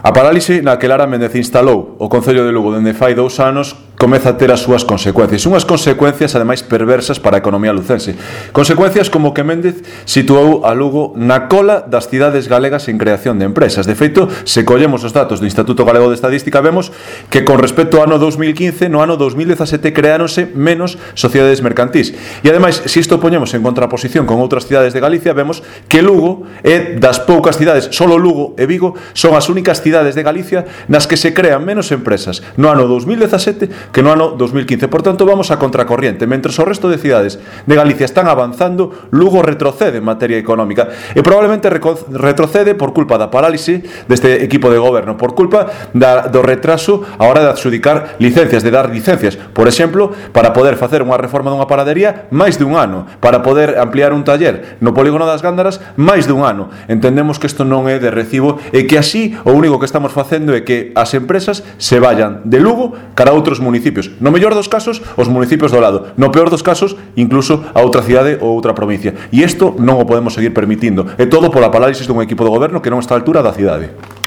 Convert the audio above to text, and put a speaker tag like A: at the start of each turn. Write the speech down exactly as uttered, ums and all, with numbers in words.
A: A parálise na que Lara Méndez instalou o Concello de Lugo dende fai dous anos comeza a ter as súas consecuencias. Unhas consecuencias, ademais, perversas para a economía lucense. Consecuencias como que Méndez situou a Lugo na cola das cidades galegas en creación de empresas. De feito, se collemos os datos do Instituto Galego de Estadística, vemos que con respecto ao ano dous mil quince, no ano dous mil dezasete creáronse menos sociedades mercantís. E, ademais, se isto poñemos en contraposición con outras cidades de Galicia, vemos que Lugo é das poucas cidades, solo Lugo e Vigo son as únicas cidades de Galicia nas que se crean menos empresas no ano dous mil dezasete que no ano dous mil quince. Por tanto, vamos a contracorriente. Mentres o resto de cidades de Galicia están avanzando, Lugo retrocede en materia económica e probablemente retrocede por culpa da parálise deste equipo de goberno, por culpa da, do retraso a hora de adxudicar licencias, de dar licencias, por exemplo, para poder facer unha reforma dunha panadería máis de un ano, para poder ampliar un taller no polígono das Gándaras máis de un ano. Entendemos que isto non é de recibo e que así o único que estamos facendo é que as empresas se vayan de Lugo cara a outros municipios. No mellor dos casos, os municipios do lado. No peor dos casos, incluso a outra cidade ou outra provincia. E isto non o podemos seguir permitindo. É todo pola parálisis dun equipo de goberno que non está á altura da cidade.